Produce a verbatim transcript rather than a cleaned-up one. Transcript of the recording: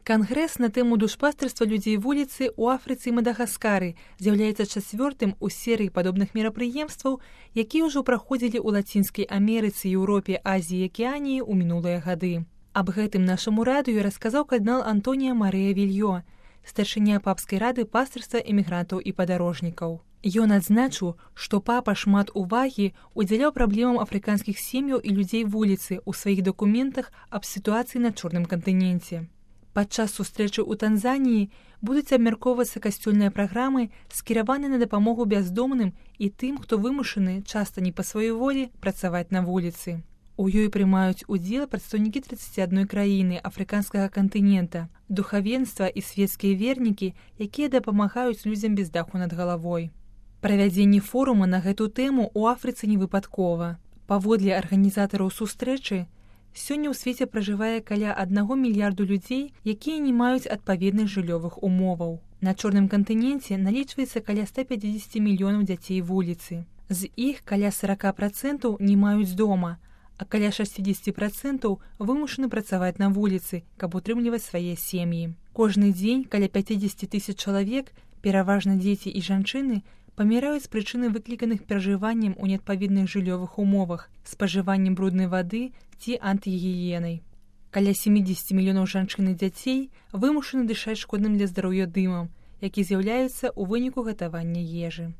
Кангрэс на тэму душпастырства людзей вуліцы ў Афрыцы і Мадагаскары з'яўляецца чацвёртым у серыі падобных мерапрыемстваў, якія ўжо праходзілі ў Лацінскай Амерыцы, Еўропе, Азіі і Акіяніі ў минулыя гады. Аб гэтым нашаму радыё расказаў кардынал Антоніа Марыя Вільё, старшыня папскай рады пастырства эмігрантаў і падарожнікаў. Ён адзначыў, што папа шмат увагі удзяляў праблемам афрыканскіх сем'яў і людзей вуліцы ў сваіх дакументах аб сітуацыі на Чорным кантыненце. Падчас сустрэчы ў Танзаніі будуць абмяркоўвацца касцёльныя праграмы, скіраваныя на дапамогу бяздомным і тым, хто вымушаны, часта не па сваёй волі, працаваць на вуліцы. У ёй прымаюць удзел прадстаўнікі трыццаці адной краіны афрыканскага кантынента, духавенства і свецкія вернікі, якія дапамагаюць людзям без даху над галавой. Правядзенне форума на гэту тэму ў Афрыцы не выпадкова. Паводле арганізатараў сустрэчы, сёння ў свеце пражывае каля аднаго мільярду людзей, якія не маюць адпаведных жыллёвых умоваў. На Чорным кантыненце налічваецца каля ста пяцідзесяці мільёнаў дзяцей вуліцы. З іх каля сорок працэнтаў не маюць дома, а каля шэсцьдзесят працэнтаў вымушаны працаваць на вуліцы, каб утрымліваць свае сем'і. Кожны дзень каля пяцьдзесят тысяч чалавек, пераважна дзеці і жанчыны, паміраюць з прычыны выкліканых пражываннем у неадпаведных жыллёвых умовах, спажываннем бруднай вады ці антыгігіенай. Каля сямідзесят мільёнаў жанчын і дзяцей вымушаны дышаць шкодным для здароўя дымам, які з'яўляецца ў выніку гатавання ежы.